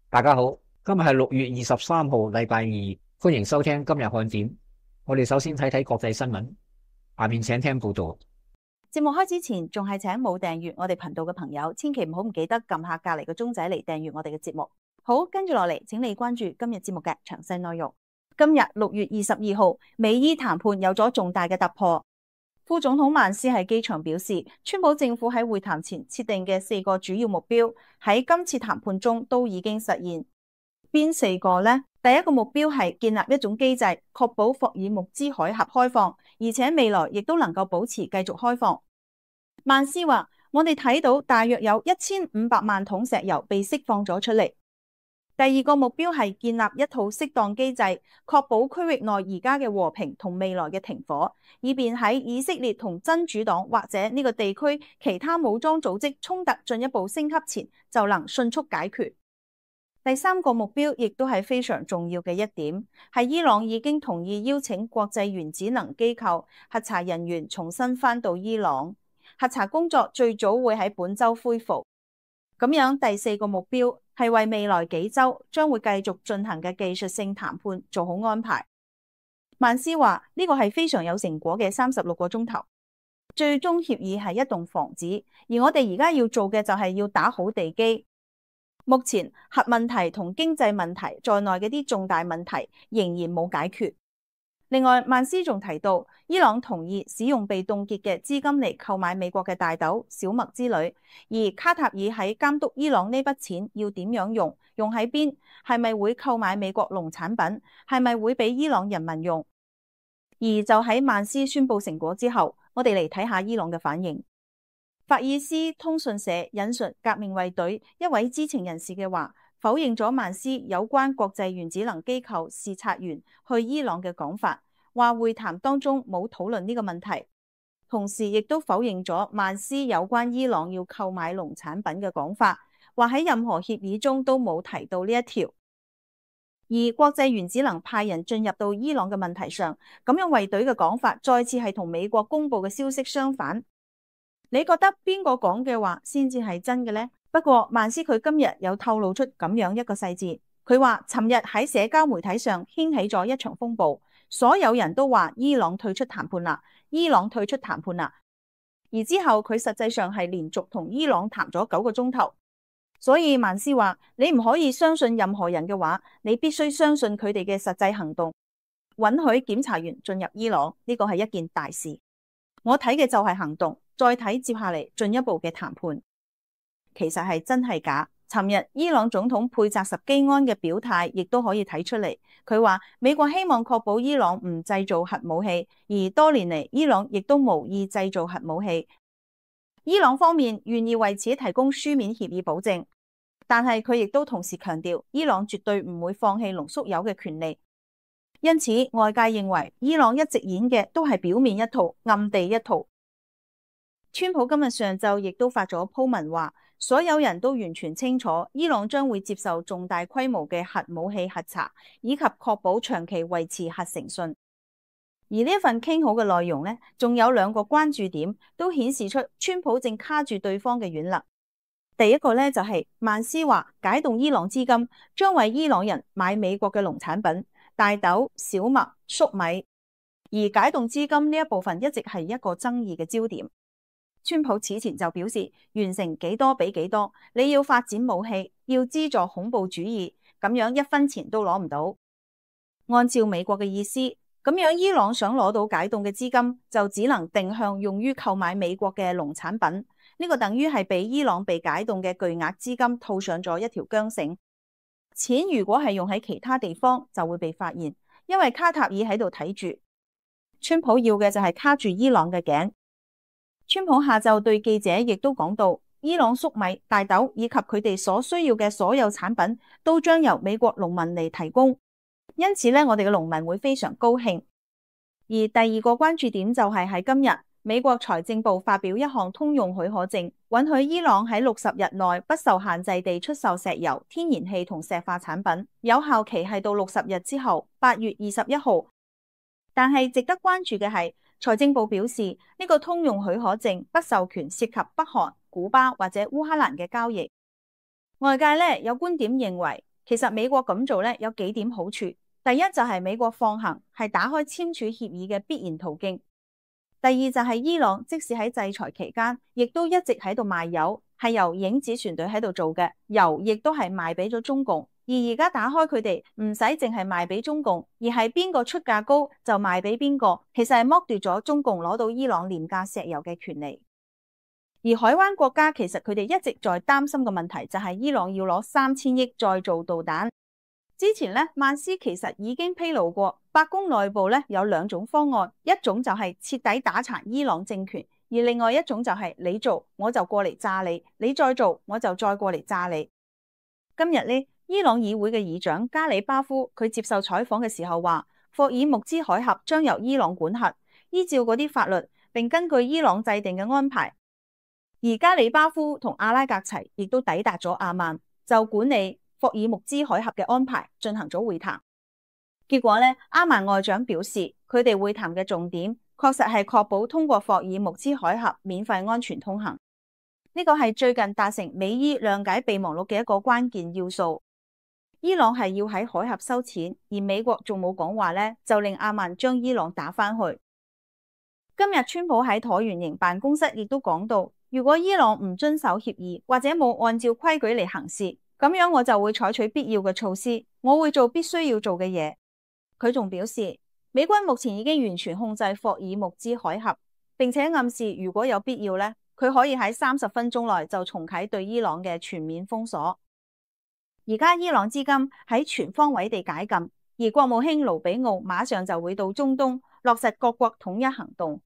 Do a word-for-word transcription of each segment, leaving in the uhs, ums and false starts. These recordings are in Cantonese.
大家好，今日係六月二十三號，禮拜二，歡迎收聽今日看點。我哋首先睇睇國際新聞，下面請聽報道。節目開始前，仲係請冇訂閱我哋頻道嘅朋友，千祈唔好唔記得撳下隔籬個鐘仔嚟訂閱我哋嘅節目。好，跟住落嚟，請你關注今日節目嘅詳細內容。今日六月二十二號，美伊談判有咗重大嘅突破。副總統曼斯喺機場表示，川普政府喺會談前設定嘅四個主要目標喺今次談判中都已經實現。邊四個呢？第一個目標係建立一種機制，確保霍爾木茲海峽開放，而且未來亦都能夠保持繼續開放。曼斯話：我哋睇到大約有一千五百萬桶石油被釋放咗出嚟。第二個目標係建立一套適當機制，確保區域內而家嘅和平同未來嘅停火，以便喺以色列同真主黨或者呢個地區其他武裝組織衝突進一步升級前就能迅速解決。第三個目標亦都係非常重要嘅一點，係伊朗已經同意邀請國際原子能機構核查人員重新返到伊朗，核查工作最早會喺本週恢復。咁樣第四個目標係為未來幾週將會繼續進行嘅技術性談判做好安排。曼斯話呢個係非常有成果嘅三十六個鐘頭，最終協議係一棟房子，而我哋而家要做嘅就係要打好地基。目前核問題同經濟問題在內嘅啲重大問題仍然冇解決。另外，曼斯仲提到，伊朗同意使用被凍結嘅資金嚟購買美國嘅大豆、小麥之類，而卡塔爾喺監督伊朗呢筆錢要點樣用，用喺邊，係咪會購買美國農產品，係咪會俾伊朗人民用。而就喺曼斯宣布成果之後，我哋嚟睇下伊朗嘅反應。法爾斯通訊社引述革命衛隊一位知情人士嘅話，否認咗曼斯有關國際原子能機構視察員去伊朗嘅講法，話會談當中冇討論呢個問題，同時亦都否認咗曼斯有關伊朗要購買農產品嘅講法，話喺任何協議中都冇提到呢一條。而國際原子能派人進入到伊朗嘅問題上，咁樣衛隊嘅講法再次係同美國公布嘅消息相反。你覺得邊個講嘅話先至係真嘅呢？不過曼斯佢今日有透露出咁樣一個細節，佢話尋日喺社交媒體上掀起咗一場風暴，所有人都話伊朗退出談判啦，伊朗退出談判啦。而之後佢實際上係連續同伊朗談咗九個鐘頭，所以曼斯話你唔可以相信任何人嘅話，你必須相信佢哋嘅實際行動。允許檢查員進入伊朗，呢個係一件大事。我睇嘅就係行動，再睇接下嚟進一步嘅談判。其實係真係假？尋日伊朗總統佩扎什基安嘅表態亦都可以睇出嚟。佢話美國希望確保伊朗唔製造核武器，而多年嚟伊朗亦都無意製造核武器。伊朗方面願意為此提供書面協議保證，但係佢亦都同時強調伊朗絕對唔會放棄濃縮鈾嘅權利。因此外界認為伊朗一直演嘅都係表面一套，暗地一套。川普今日上晝亦都發咗鋪文話，所有人都完全清楚伊朗將會接受重大規模嘅核武器核查，以及確保長期維持核誠信。而呢一份傾好嘅內容呢，仲有兩個關注點，都顯示出川普正卡住對方嘅軟肋。第一個呢，就係曼斯話解凍伊朗資金，將為伊朗人買美國嘅農產品。大豆、小麥、粟米，而解凍資金呢一部分一直係一個爭議嘅焦點。川普此前就表示，完成幾多俾幾多，你要發展武器，要資助恐怖主義，咁樣一分錢都攞唔到。按照美國嘅意思，咁樣伊朗想攞到解凍嘅資金，就只能定向用於購買美國嘅農產品。呢個等於係俾伊朗被解凍嘅巨額資金套上咗一條韁繩。錢如果係用喺其他地方，就會被發現，因為卡塔爾喺度睇住。川普要嘅就係卡住伊朗嘅頸。川普下晝對記者亦都講到，伊朗粟米、大豆以及佢哋所需要嘅所有產品，都將由美國農民嚟提供。因此咧，我哋嘅農民會非常高興。而第二個關注點就係喺今日，美國財政部發表一項通用許可證，允許伊朗喺六十日內不受限制地出售石油、天然氣同石化產品，有效期係到六十日之後，八月二十一號。但係值得關注嘅係，財政部表示呢個通用許可證不授權涉及北韓、古巴或者烏克蘭嘅交易。外界咧有觀點認為，其實美國咁做咧有幾點好處。第一就係美國放行係打開簽署協議嘅必然途徑。第二就係伊朗即使喺制裁期間，亦都一直喺度賣油，係由影子船隊喺度做嘅，油亦都係賣俾咗中共。而而家打開佢哋唔使淨係賣俾中共，而係邊個出價高就賣俾邊個，其實係剝奪咗中共攞到伊朗廉價石油嘅權利。而海灣國家其實佢哋一直在擔心嘅問題就係伊朗要攞三千億再做導彈。之前咧，曼斯其實已經披露過，白宮內部咧有兩種方案，一種就係徹底打殘伊朗政權，而另外一種就係你做我就過嚟炸你，你再做我就再過嚟炸你。今日呢，伊朗議會嘅議長加里巴夫佢接受採訪嘅時候話，霍爾木茲海峽將由伊朗管轄，依照嗰啲法律，並根據伊朗制定嘅安排。而加里巴夫同阿拉格齊亦都抵達咗阿曼，就管理霍爾木茲海峽嘅安排進行咗會談。結果呢，阿曼外長表示，佢哋會談嘅重點確實係確保通過霍爾木茲海峽免費安全通行。呢個係最近達成美伊諒解備忘錄嘅一個關鍵要素。伊朗係要喺海峽收錢，而美國仲冇講話呢，就令阿曼將伊朗打返去。今日川普喺橢圓形辦公室亦都講到，如果伊朗唔遵守協議或者冇按照規矩嚟行事，咁樣我就會採取必要嘅措施，我會做必須要做嘅嘢。佢仲表示，美軍目前已經完全控制霍爾木茲海峽，並且暗示如果有必要呢，佢可以喺三十分鐘內就重啟對伊朗嘅全面封鎖。而家伊朗資金喺全方位地解禁，而國務卿盧比奧馬上就會到中東落實各國統一行動。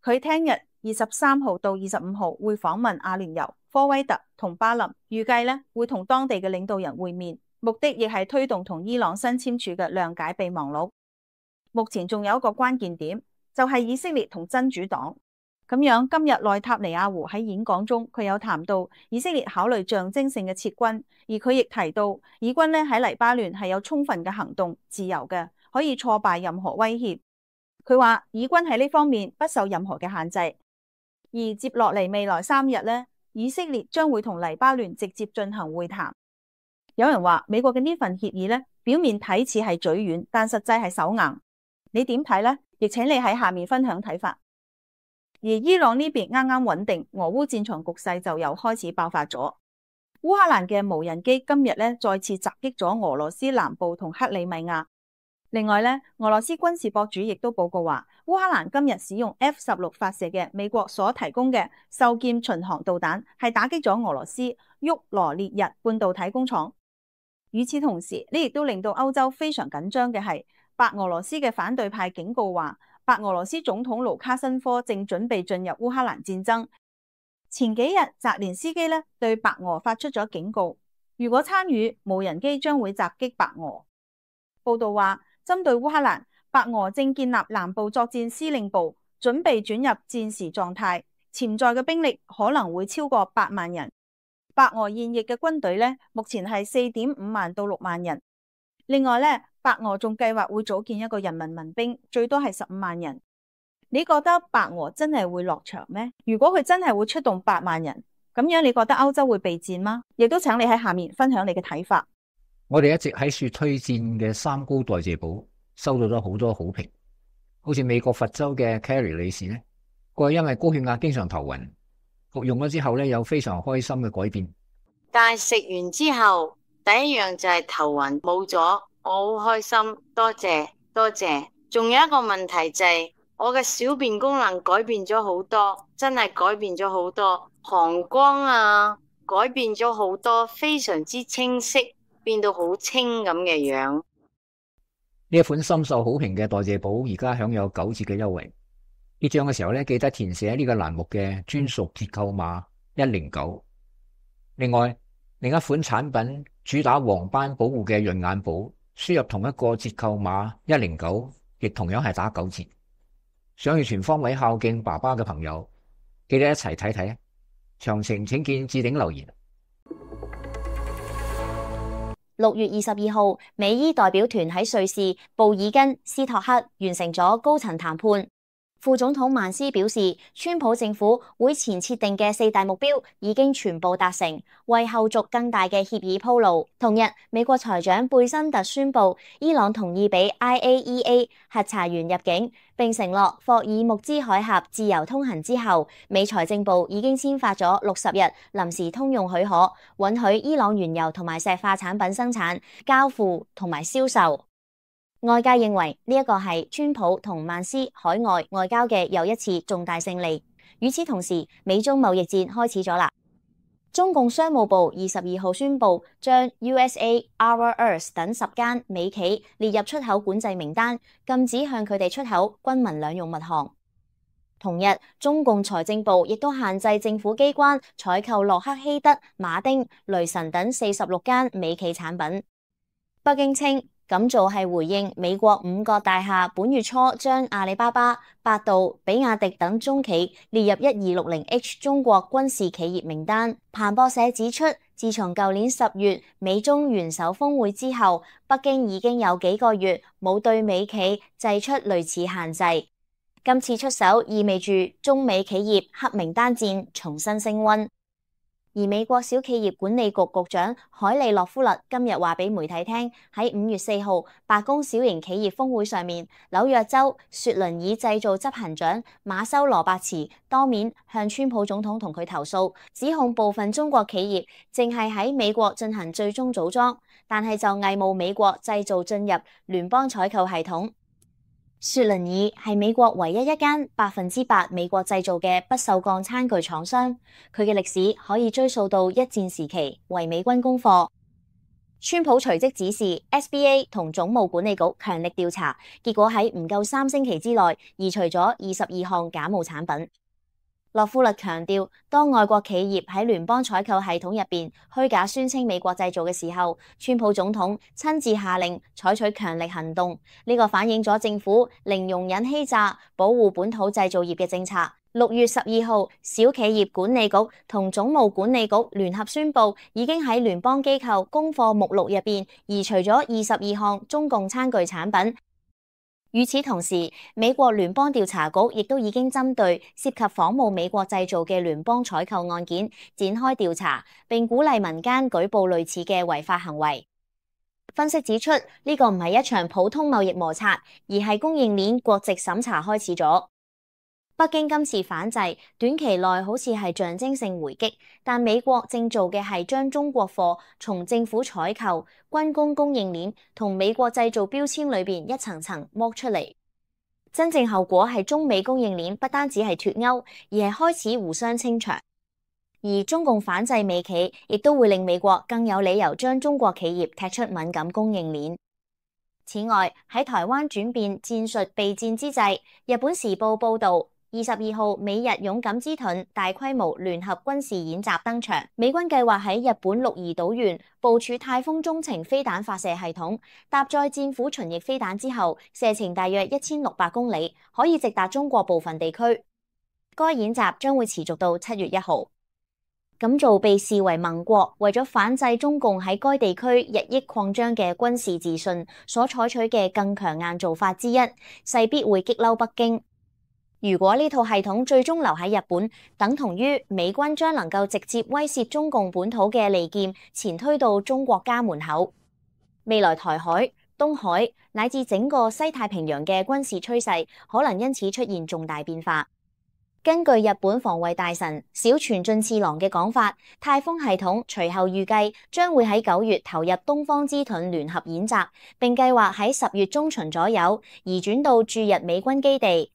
佢聽日二十三號到二十五號會訪問阿聯酋、科威特同巴林，預計咧會同當地嘅領導人會面，目的亦係推動同伊朗新簽署嘅諒解備忘錄。目前仲有一個關鍵點，就係以色列同真主黨。咁樣今日內塔尼亞胡喺演講中，佢有談到以色列考慮象徵性嘅撤軍，而佢亦提到以軍咧喺黎巴嫩係有充分嘅行動自由嘅，可以挫敗任何威脅。佢話以軍喺呢方面不受任何嘅限制。而接落嚟未來三日咧，以色列將會同黎巴嫩直接進行會談。有人話美國嘅呢份協議咧，表面睇似係嘴軟，但實際係手硬。你點睇呢？亦請你喺下面分享睇法。而伊朗呢邊啱啱穩定，俄烏戰場局勢就又開始爆發咗。烏克蘭嘅無人機今日咧再次襲擊咗俄羅斯南部同克里米亞。另外咧，俄羅斯軍事博主亦都報告話，烏克蘭今日使用 F 十六發射嘅美國所提供嘅獸劍巡航導彈，係打擊咗俄羅斯沃羅涅日半導體工廠。與此同時，呢亦都令到歐洲非常緊張嘅係，白俄羅斯嘅反對派警告話，白俄羅斯總統盧卡申科正準備進入烏克蘭戰爭。前幾日澤連斯基咧對白俄發出咗警告，如果參與，無人機將會襲擊白俄。報道話，針對烏克蘭，白俄正建立南部作戰司令部，準備轉入戰時狀態，潛在嘅兵力可能會超過八萬人。白俄現役嘅軍隊咧，目前係四點五萬到六萬人。另外咧，白俄仲計劃會組建一個人民民兵，最多係十五萬人。你覺得白俄真係會落場咩？如果佢真係會出動八萬人，咁樣你覺得歐洲會備戰嗎？亦都請你喺下面分享你嘅睇法。我哋一直喺說推薦嘅三高代謝寶收到咗好多好評，好似美國佛州嘅 Carrie 女士呢，佢因為高血壓經常頭暈，服用咗之後呢，有非常開心嘅改變。但係食完之後，第一樣就係頭暈冇咗，我好開心，多謝多謝。仲有一個問題就係、是、我嘅小便功能改變咗好多，真係改變咗好多，膀胱啊改變咗好多，非常之清晰，變到好清咁嘅樣。呢一款深受好評嘅代謝寶而家享有九折嘅優惠。結賬嘅時候咧，記得填寫呢個欄目嘅專屬折扣碼一零九。另外，另一款產品主打黃斑保護嘅潤眼寶，輸入同一個折扣碼一零九，亦同樣係打九折。想要全方位孝敬爸爸嘅朋友，記得一齊睇睇。詳情請見置頂留言。六月二十二號，美伊代表團喺瑞士布爾根斯托克完成咗高層談判。副總統曼斯表示，川普政府會前設定嘅四大目標已經全部達成，為後續更大嘅協議鋪路。同日，美國財長貝辛特宣布，伊朗同意俾 I A E A 核查員入境，並承諾霍爾木茲海峽自由通行之後，美財政部已經簽發咗六十日臨時通用許可，允許伊朗原油同埋石化產品生產、交付同埋銷售。外界認為呢一個係川普同曼斯海外外交嘅又一次重大勝利。與此同時，美中貿易戰開始咗啦。中共商務部二十二號宣布，將 U S A、Rare Earth 等十間美企列入出口管制名單，禁止向佢哋出口軍民兩用物項。同日，中共財政部亦都限制政府機關採購洛克希德、馬丁、雷神等四十六間美企產品。北京稱，咁做係回應美國五角大廈本月初將阿里巴巴、百度、比亞迪等中企列入一二六零 H 中國軍事企業名單。彭博社指出，自從舊年十月美中元首峰會之後，北京已經有幾個月冇對美企祭出類似限制。今次出手意味住中美企業黑名單戰重新升溫。而美國小企業管理局局長海利洛夫勒今日話俾媒體聽，喺五月四號白宮小型企業峰會上面，紐約州雪倫爾製造執行長馬修羅伯茨當面向川普總統同佢投訴，指控部分中國企業淨係喺美國進行最終組裝，但係就偽冒美國製造進入聯邦採購系統。雪倫爾係美國唯一一間百分之百美國製造嘅不鏽鋼餐具廠商，佢嘅歷史可以追溯到一戰時期，為美軍供貨。川普隨即指示 S B A 同總務管理局強力調查，結果喺唔夠三星期之內移除咗二十二項假冒產品。洛夫勒強調，當外國企業喺聯邦採購系統入邊虛假宣稱美國製造嘅時候，川普總統親自下令採取強力行動。呢個反映咗政府零容忍欺詐、保護本土製造業嘅政策。六月十二號，小企業管理局同總務管理局聯合宣布，已經喺聯邦機構供貨目錄入邊移除咗二十二項中共餐具產品。與此同時，美國聯邦調查局亦都已經針對涉及仿冒美國製造嘅聯邦採購案件展開調查，並鼓勵民間舉報類似嘅違法行為。分析指出，呢個唔係一場普通貿易摩擦，而係供應鏈國籍審查開始咗。北京今次反制，短期內好似係象徵性回擊，但美國正做嘅係將中國貨從政府採購、軍工供應鏈同美國製造標籤裏邊一層層剝出嚟。真正後果係中美供應鏈不單止係脫鈎，而係開始互相清場。而中共反制美企，亦都會令美國更有理由將中國企業踢出敏感供應鏈。此外，喺台灣轉變戰術備戰之際，日本時報報導，二十二號，美日勇敢之盾大規模聯合軍事演習登場。美軍計劃喺日本鹿兒島縣部署太空中程飛彈發射系統，搭載戰斧巡弋飛彈之後，射程大約一千六百公里，可以直達中國部分地區。該演習將會持續到七月一號。咁做被視為盟國為咗反制中共喺該地區日益擴張嘅軍事自信所採取嘅更強硬做法之一，勢必會激嬲北京。如果呢套系統最終留喺日本，等同於美軍將能夠直接威懾中共本土嘅利劍前推到中國家門口。未來台海、東海乃至整個西太平洋嘅軍事趨勢，可能因此出現重大變化。根據日本防衛大臣小泉進次郎嘅講法，太空系統隨後預計將會喺九月投入東方之盾聯合演習，並計劃喺十月中旬左右移轉到駐日美軍基地。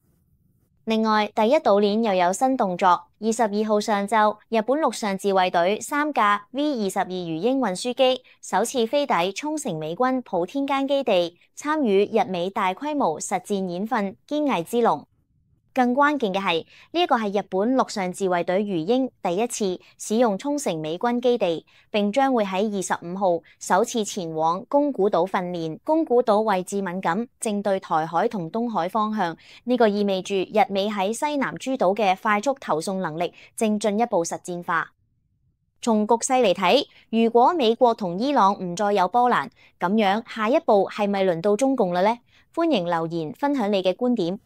另外，第一島鏈又有新動作。二十二號上晝，日本陸上自衛隊三架 V 二十二魚鷹運輸機首次飛抵沖繩美軍普天間基地，參與日美大規模實戰演訓堅毅之龍。更關鍵嘅係，呢一個係日本陸上自衛隊魚鷹第一次使用沖繩美軍基地，並將會喺二十五號首次前往宮古島訓練。宮古島位置敏感，正對台海同東海方向，呢個意味住日美喺西南諸島嘅快速投送能力正進一步實戰化。從局勢嚟睇，如果美國同伊朗唔再有波瀾，咁樣下一步係咪輪到中共啦呢？歡迎留言分享你嘅觀點。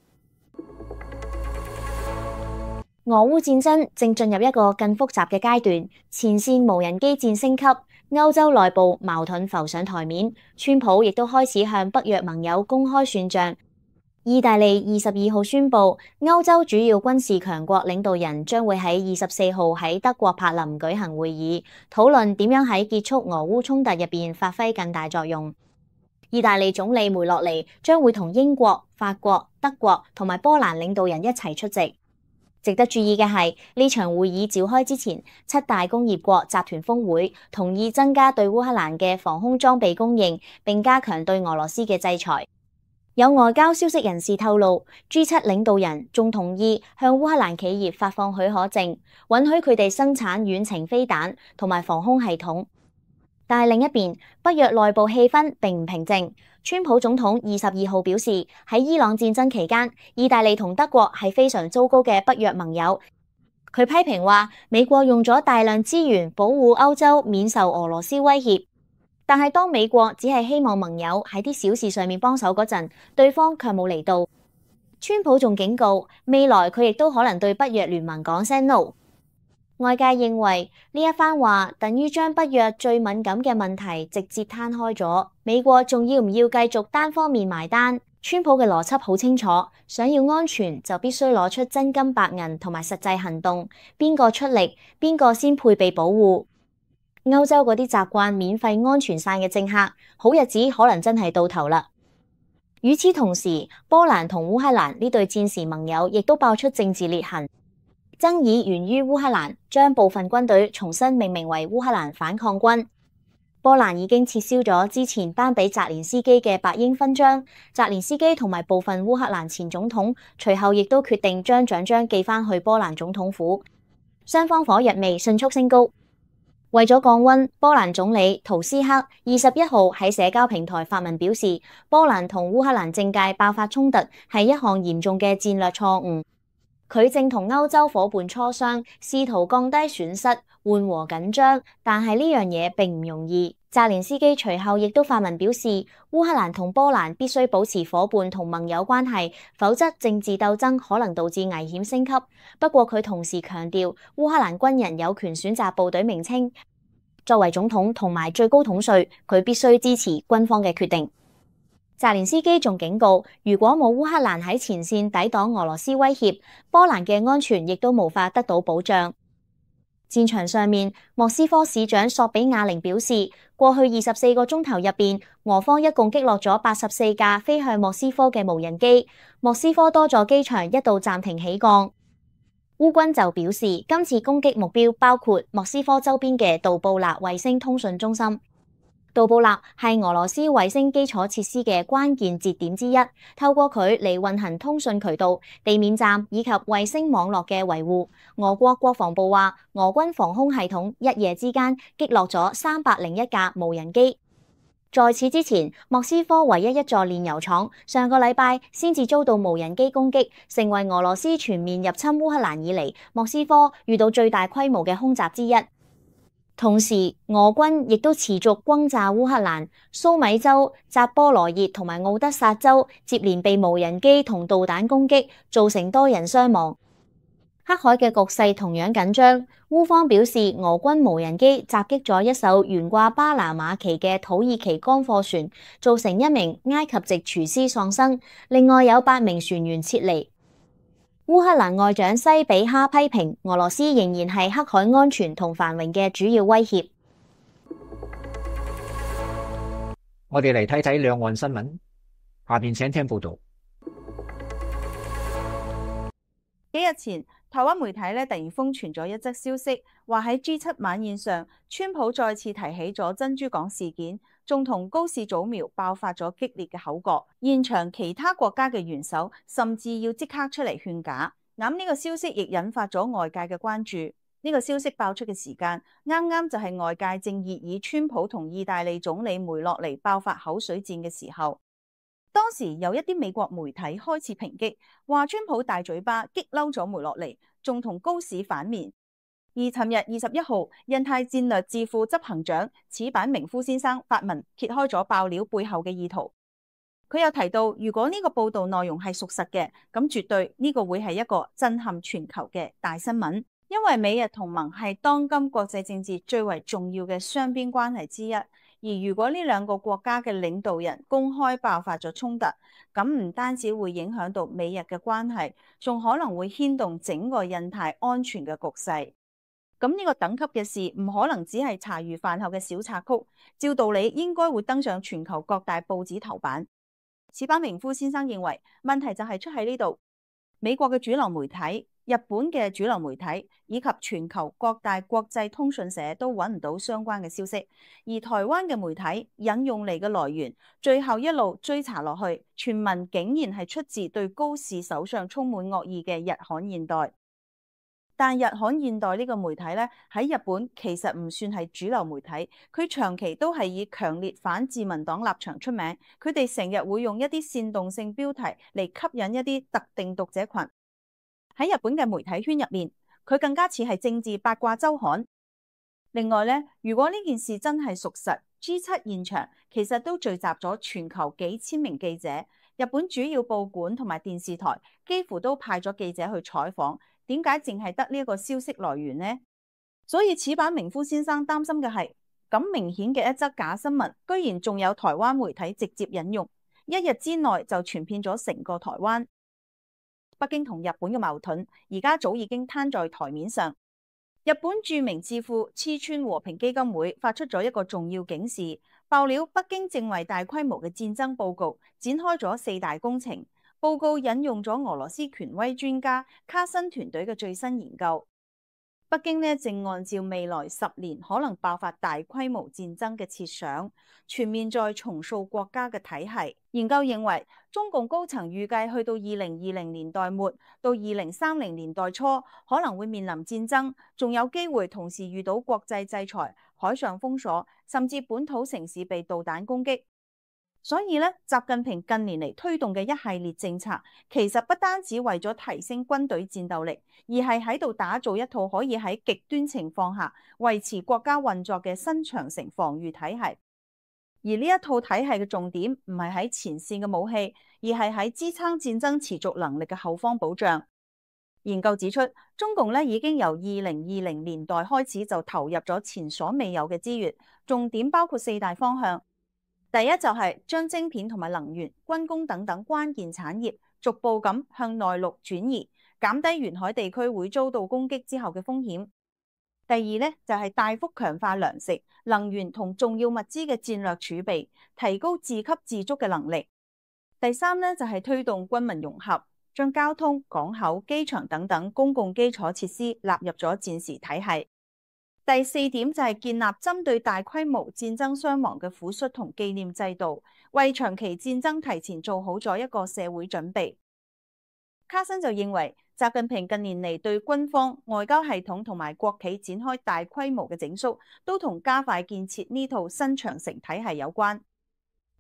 俄烏戰爭正進入一個更複雜嘅階段，前線無人機戰升級，歐洲內部矛盾浮上台面，川普亦都開始向北約盟友公開算賬。意大利二十二號宣布，歐洲主要軍事強國領導人將會喺二十四號喺德國柏林舉行會議，討論點樣喺結束俄烏衝突入邊發揮更大作用。意大利總理梅洛尼將會同英國、法國、德國同埋波蘭領導人一齊出席。值得注意嘅係，呢場會議召開之前，七大工業國集團峰會同意增加對烏克蘭嘅防空裝備供應，並加強對俄羅斯嘅制裁。有外交消息人士透露 ，G 七領導人仲同意向烏克蘭企業發放許可證，允許佢哋生產遠程飛彈同埋防空系統。但係另一邊，北約內部氣氛並唔平靜。川普總統二十二號表示，喺伊朗戰爭期間，意大利同德國係非常糟糕嘅北約盟友。佢批評話，美國用咗大量資源保護歐洲免受俄羅斯威脅，但係當美國只係希望盟友喺啲小事上面幫手嗰陣，對方卻冇嚟到。川普仲警告，未來佢亦都可能對北約聯盟講聲 no。外界認為呢一番話等於將北約最敏感嘅問題直接攤開咗，美國仲要唔要繼續單方面埋單？川普嘅邏輯好清楚，想要安全就必須攞出真金白銀同埋實際行動，邊個出力，邊個先配備保護。歐洲嗰啲習慣免費安全傘嘅政客，好日子可能真係到頭啦。與此同時，波蘭同烏克蘭呢對戰時盟友亦都爆出政治裂痕。爭議源於烏克蘭將部分軍隊重新命名為烏克蘭反抗軍。波蘭已經撤銷咗之前頒俾澤連斯基嘅白鷹勳章，澤連斯基同埋部分烏克蘭前總統隨後亦都決定將獎章寄返去波蘭總統府。雙方火藥味迅速升高。為咗降溫，波蘭總理圖斯克二十一號喺社交平台發文表示，波蘭同烏克蘭政界爆發衝突係一項嚴重嘅戰略錯誤。佢正同歐洲夥伴磋商，試圖降低損失、緩和緊張，但係呢樣嘢並唔容易。澤連斯基隨後亦都發文表示，烏克蘭同波蘭必須保持夥伴同盟友關係，否則政治鬥爭可能導致危險升級。不過佢同時強調，烏克蘭軍人有權選擇部隊名稱。作為總統同埋最高統帥，佢必須支持軍方嘅決定。澤連斯基仲警告，如果冇烏克蘭喺前線抵擋俄羅斯威脅，波蘭嘅安全亦都無法得到保障。戰場上面，莫斯科市長索比亞寧表示，過去二十四個鐘頭入邊，俄方一共擊落咗八十四架飛向莫斯科嘅無人機，莫斯科多座機場一度暫停起降。烏軍就表示，今次攻擊目標包括莫斯科周邊嘅杜布納衛星通訊中心。杜布納係俄羅斯衛星基礎設施嘅關鍵節點之一，透過佢嚟運行通訊渠道、地面站以及衛星網絡嘅維護。俄國國防部話，俄軍防空系統一夜之間擊落咗三百零一架無人機。在此之前，莫斯科唯一一座煉油廠上個禮拜先至遭到無人機攻擊，成為俄羅斯全面入侵烏克蘭以嚟莫斯科遇到最大規模嘅空襲之一。同時，俄軍亦都持續轟炸烏克蘭，蘇米州、扎波羅熱同埋奧德薩州接連被無人機同導彈攻擊，造成多人傷亡。黑海嘅局勢同樣緊張，烏方表示俄軍無人機襲擊咗一艘懸掛巴拿馬旗嘅土耳其乾貨船，造成一名埃及籍廚師喪生，另外有八名船員撤離。烏克蘭外長西比哈批評俄羅斯仍然係黑海安全同繁榮嘅主要威脅。我哋嚟睇睇兩岸新聞，下邊請聽報道。幾日前，台灣媒體咧突然瘋傳咗一則消息，話喺 G 七晚宴上，川普再次提起咗珍珠港事件，仲同高市早苗爆發咗激烈嘅口角，現場其他國家嘅元首甚至要即刻出嚟勸架。咁呢個消息亦引發咗外界嘅關注。呢個消息爆出嘅時間，啱啱就係外界正熱議川普同意大利總理梅洛尼爆發口水戰嘅時候。當時有一啲美國媒體開始抨擊，話川普大嘴巴激嬲咗梅洛尼，仲同高市反面。而尋日二十一號，印太戰略智庫執行長矢板明夫先生發文揭開咗爆料背後嘅意圖。佢又提到，如果呢個報導內容係屬實嘅，咁絕對呢個會係一個震撼全球嘅大新聞，因為美日同盟係當今國際政治最為重要嘅雙邊關係之一。而如果呢兩個國家嘅領導人公開爆發咗衝突，咁唔單止會影響到美日嘅關係，仲可能會牽動整個印太安全嘅局勢。咁呢個等級嘅事唔可能只係茶餘飯後嘅小插曲，照道理應該會登上全球各大報紙頭版。矢板明夫先生認為，問題就係出喺呢度，美國嘅主流媒體、日本嘅主流媒體以及全球各大國際通訊社都揾唔到相關嘅消息，而台灣嘅媒體引用嚟嘅來源，最後一路追查落去，傳聞竟然係出自對高市首相充滿惡意嘅日刊現代。但日刊現代呢個媒體咧，喺日本其實唔算係主流媒體，佢長期都係以強烈反自民黨立場出名，佢哋成日會用一啲煽動性標題嚟吸引一啲特定讀者群。喺日本嘅媒體圈入面，佢更加似係政治八卦週刊。另外咧，如果呢件事真係屬實 ，G 七現場其實都聚集咗全球幾千名記者，日本主要報館同埋電視台幾乎都派咗記者去採訪。點解淨係得呢一個消息來源呢？所以矢板明夫先生擔心嘅係，咁明顯嘅一則假新聞，居然仲有台灣媒體直接引用，一日之內就傳遍咗成個台灣。北京同日本嘅矛盾而家早已經攤在台面上。日本著名智庫黐川和平基金會發出咗一個重要警示，爆料北京正為大規模嘅戰爭報告展開咗四大工程。報告引用咗俄羅斯權威專家卡申團隊嘅最新研究。北京呢正按照未來十年可能爆發大規模戰爭嘅設想，全面再重塑國家嘅體系。研究認為，中共高層預計去到二零二零年代末到二零三零年代初，可能會面臨戰爭，仲有機會同時遇到國際制裁、海上封鎖，甚至本土城市被導彈攻擊。所以咧，習近平近年嚟推動嘅一系列政策，其實不單止為咗提升軍隊戰鬥力，而係喺度打造一套可以喺極端情況下維持國家運作嘅新長城防禦體系。而呢一套體系嘅重點唔係喺前線嘅武器，而係喺支撐戰爭持續能力嘅後方保障。研究指出，中共咧已經由二零二零年代開始就投入咗前所未有嘅資源，重點包括四大方向。第一就係將晶片同埋能源、軍工等等關鍵產業逐步咁向內陸轉移，減低沿海地區會遭到攻擊之後嘅風險。第二咧就係大幅強化糧食、能源同重要物資嘅戰略儲備，提高自給自足嘅能力。第三咧就係推動軍民融合，將交通、港口、機場等等公共基礎設施納入咗戰時體系。第四點就係建立針對大規模戰爭傷亡嘅撫恤同紀念制度，為長期戰爭提前做好咗一個社會準備。卡申就認為，習近平近年嚟對軍方、外交系統同埋國企展開大規模嘅整肅，都同加快建設呢套新長城體系有關。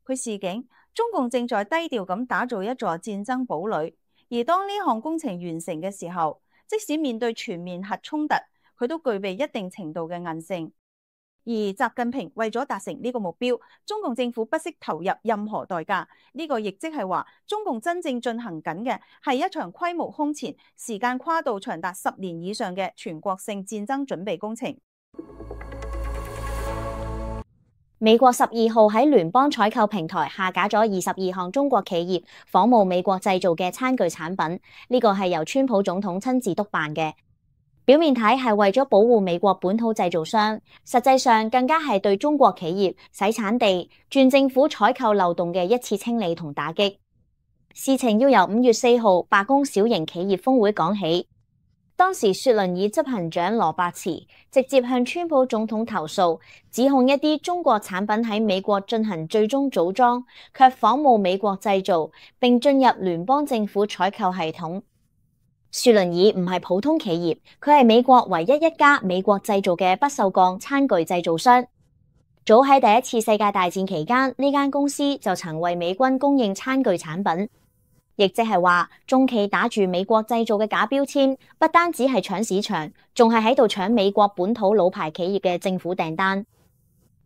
佢示警，中共正在低調咁打造一座戰爭堡壘，而當呢項工程完成嘅時候，即使面對全面核衝突，佢都具備一定程度嘅韌性。而習近平為咗達成呢個目標，中共政府不惜投入任何代價。呢個亦即係話，中共真正進行緊嘅係一場規模空前、時間跨度長達十年以上嘅全國性戰爭準備工程。美國十二號喺聯邦採購平台下架咗二十二項中國企業仿冒美國製造嘅餐具產品，呢個係由川普總統親自督辦嘅。表面睇係為咗保護美國本土製造商，實際上更加係對中國企業洗產地、轉政府採購漏洞嘅一次清理同打擊。事情要由五月四號罷工小型企業峰會講起。當時雪倫以執行長羅伯茨直接向川普總統投訴，指控一啲中國產品喺美國進行最終組裝，卻仿冒美國製造，並進入聯邦政府採購系統。雪倫以唔係普通企業，佢係美國唯一一家美國製造嘅不鏽鋼餐具製造商。早喺第一次世界大戰期間，呢間公司就曾為美軍供應餐具產品，亦即係話中企打住美國製造嘅假標籤，不單止係搶市場，仲係喺度搶美國本土老牌企業嘅政府訂單。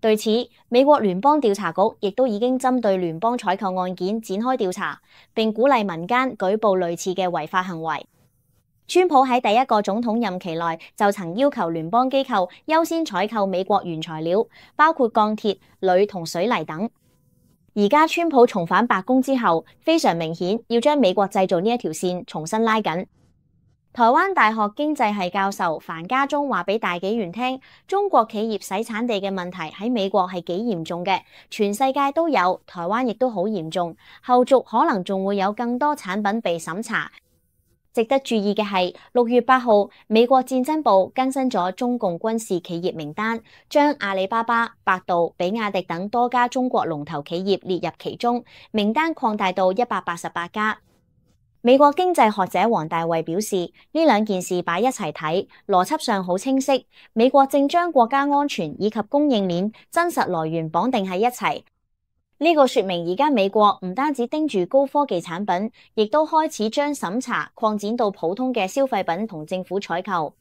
對此，美國聯邦調查局亦都已經針對聯邦採購案件展開調查，並鼓勵民間舉報類似嘅違法行為。川普喺第一個總統任期內就曾要求聯邦機構優先採購美國原材料，包括鋼鐵、鋁同水泥等。而家川普重返白宮之後，非常明顯要將美國製造呢一條線重新拉緊。台灣大學經濟系教授樊家忠話俾大紀元聽，中國企業洗產地嘅問題喺美國係幾嚴重嘅，全世界都有，台灣亦都好嚴重，後續可能仲會有更多產品被審查。值得注意嘅係，六月八號，美國戰爭部更新咗中共軍事企業名單，將阿里巴巴、百度、比亞迪等多家中國龍頭企業列入其中，名單擴大到一百八十八家。美國經濟學者黃大衛表示，呢兩件事擺一齊睇，邏輯上好清晰。美國正將國家安全以及供應鏈真實來源綁定喺一齊。呢個說明而家美國唔單止盯住高科技產品，亦都開始將審查擴展到普通嘅消費品同政府採購。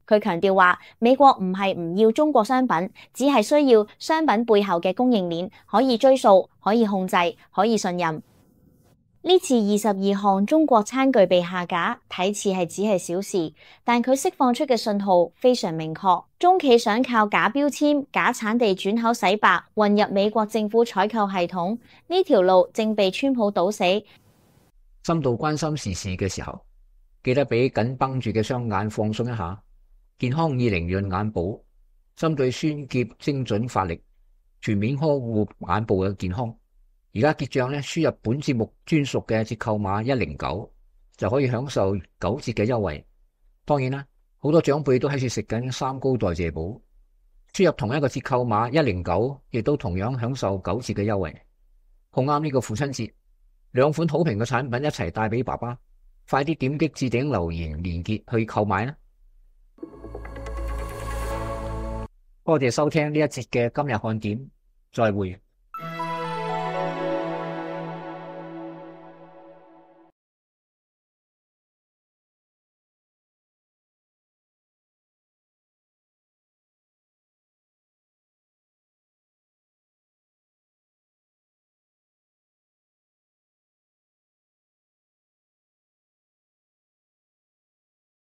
佢強調話，美國唔係唔要中國商品，只係需要商品背後嘅供應鏈可以追溯、可以控制、可以信任。呢次二十二項中國餐具被下架，睇似係只係小事，但佢釋放出嘅信號非常明確。中企想靠假標籤、假產地轉口洗白，混入美國政府採購系統，呢條路正被川普堵死。深度關心時事嘅時候，記得俾緊繃住嘅雙眼放鬆一下。健康以靈潤眼保，針對酸澀精準發力，全面呵護眼部嘅健康。而家結賬咧，輸入本節目專屬嘅折扣碼一零九，就可以享受九折嘅優惠。當然啦，好多長輩都喺處食緊三高代謝寶，輸入同一個折扣碼一零九，亦都同樣享受九折嘅優惠。好啱呢個父親節，兩款好評嘅產品一齊帶俾爸爸，快啲點擊置頂留言連結去購買啦！多謝收聽呢一節嘅今日看點，再會。